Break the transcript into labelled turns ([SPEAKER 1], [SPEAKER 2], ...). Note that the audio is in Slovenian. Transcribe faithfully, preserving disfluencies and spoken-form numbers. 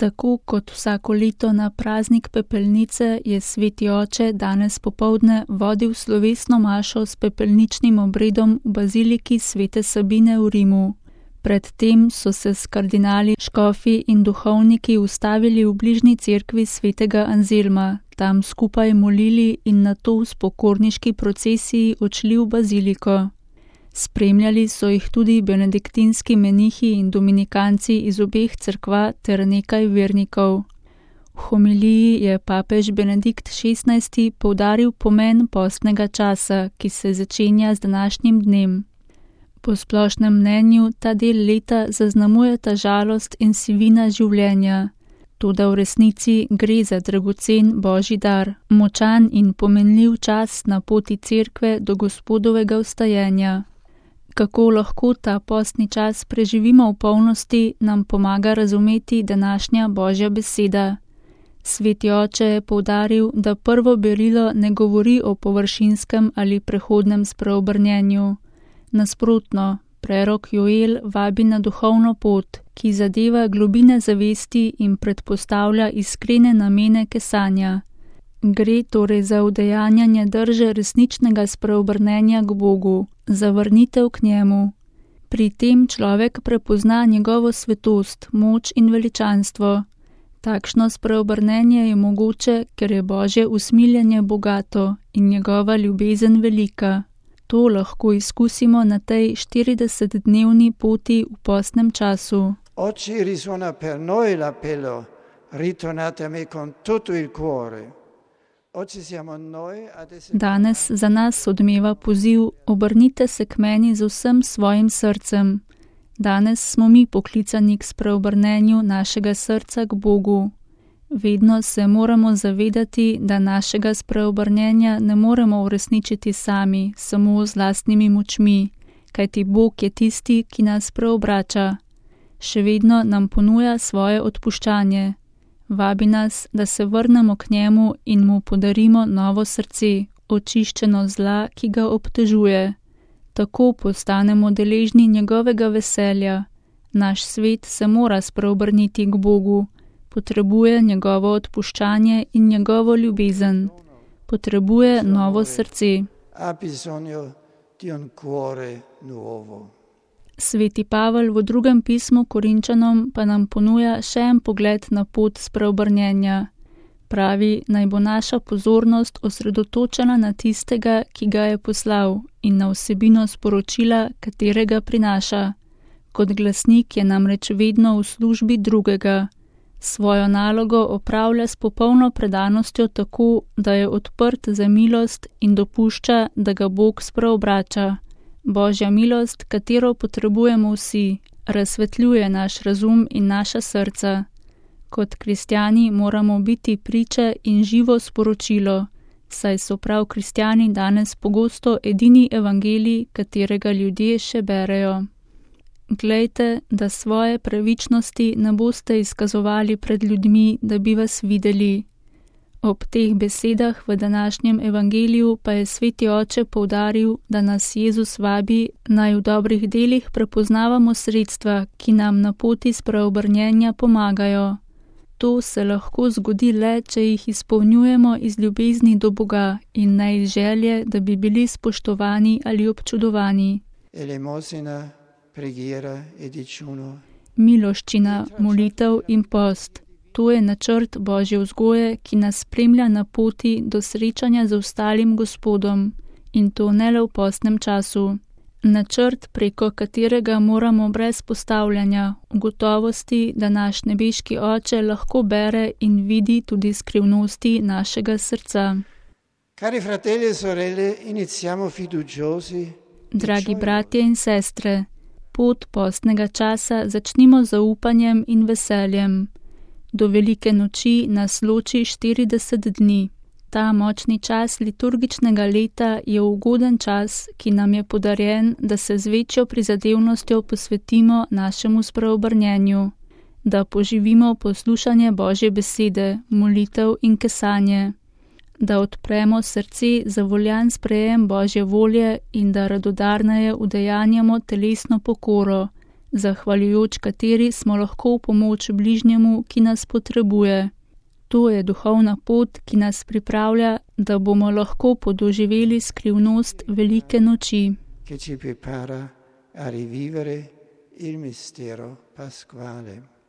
[SPEAKER 1] Tako kot vsako leto na praznik pepelnice je sveti oče danes popoldne vodil slovesno mašo s pepelničnim obredom v baziliki svete Sabine v Rimu. Predtem so se s kardinali, škofi in duhovniki ustavili v bližnji cerkvi svetega Anzelma, tam skupaj molili in nato s pokorniški procesiji odšli v baziliko. Spremljali so jih tudi benediktinski menihi in dominikanci iz obeh cerkva ter nekaj vernikov. V homiliji je papež Benedikt šestnajsti poudaril pomen postnega časa, ki se začenja z današnjim dnem. Po splošnem mnenju ta del leta zaznamujeta žalost in sivina življenja. Toda v resnici gre za dragocen božji dar, močan in pomenljiv čas na poti cerkve do Gospodovega vstajenja. Kako lahko ta postni čas preživimo v polnosti, nam pomaga razumeti današnja božja beseda. Sveti oče je poudaril, da prvo berilo ne govori o površinskem ali prehodnem spreobrnjenju. Nasprotno, prerok Joel vabi na duhovno pot, ki zadeva globine zavesti in predpostavlja iskrene namene kesanja. Gre torej za udejanjanje drže resničnega spreobrnenja k Bogu, za vrnitev k njemu. Pri tem človek prepozna njegovo svetost, moč in veličanstvo. Takšno spreobrnenje je mogoče, ker je Božje usmiljenje bogato in njegova ljubezen velika. To lahko izkusimo na tej štiridesetdnevni poti v postnem času.
[SPEAKER 2] Oggi risuona per noi l'appello, ritornate a me con tutto il cuore.
[SPEAKER 1] Danes za nas odmeva poziv, obrnite se k meni z vsem svojim srcem. Danes smo mi poklicani k spreobrnenju našega srca k Bogu. Vedno se moramo zavedati, da našega spreobrnenja ne moremo uresničiti sami, samo z lastnimi močmi, kajti Bog je tisti, ki nas preobrača. Še vedno nam ponuja svoje odpuščanje. Vabi nas, da se vrnemo k njemu in mu podarimo novo srce, očiščeno zla, ki ga obtežuje. Tako postanemo deležni njegovega veselja. Naš svet se mora spreobrniti k Bogu. Potrebuje njegovo odpuščanje in njegovo ljubezen. Potrebuje novo srce. Sveti Pavel v drugem pismu Korinčanom pa nam ponuja še en pogled na pot spreobrnjenja. Pravi, naj bo naša pozornost osredotočena na tistega, ki ga je poslal, in na vsebino sporočila, katerega prinaša. Kot glasnik je namreč vedno v službi drugega. Svojo nalogo opravlja s popolno predanostjo tako, da je odprt za milost in dopušča, da ga Bog spreobrača. Božja milost, katero potrebujemo vsi, razsvetljuje naš razum in naša srca. Kot kristjani moramo biti priče in živo sporočilo, saj so prav kristjani danes pogosto edini evangelij, katerega ljudje še berejo. Glejte, da svoje pravičnosti ne boste izkazovali pred ljudmi, da bi vas videli. Ob teh besedah v današnjem evangeliju pa je sveti oče poudaril, da nas Jezus vabi, naj v dobrih delih prepoznavamo sredstva, ki nam na poti spreobrnjenja pomagajo. To se lahko zgodi le, če jih izpolnjujemo iz ljubezni do Boga in ne iz želje, da bi bili spoštovani ali občudovani.
[SPEAKER 2] Elemosina, preghiera e digiuno.
[SPEAKER 1] Miloščina, molitev in post. To je načrt Božje vzgoje, ki nas spremlja na poti do srečanja z ostalim Gospodom, in to ne le v postnem času. Načrt, preko katerega moramo brez postavljanja v gotovosti, da naš nebeški Oče lahko bere in vidi tudi skrivnosti našega srca.
[SPEAKER 2] Cari fratelli e sorelle, iniziamo fiduciosi.
[SPEAKER 1] Dragi bratje in sestre, pot postnega časa začnimo z zaupanjem in veseljem. Do velike noči nas loči štirideset dni. Ta močni čas liturgičnega leta je ugoden čas, ki nam je podarjen, da se z večjo prizadevnostjo posvetimo našemu spreobrnjenju, da poživimo poslušanje Božje besede, molitev in kesanje, da odpremo srce za voljan sprejem Božje volje in da radodarneje udejanjamo telesno pokoro, zahvaljujoč kateri smo lahko v pomoč bližnjemu, ki nas potrebuje. To je duhovna pot, ki nas pripravlja, da bomo lahko podoživeli skrivnost velike noči.
[SPEAKER 2] Che ci prepara a rivivere il mistero pasquale.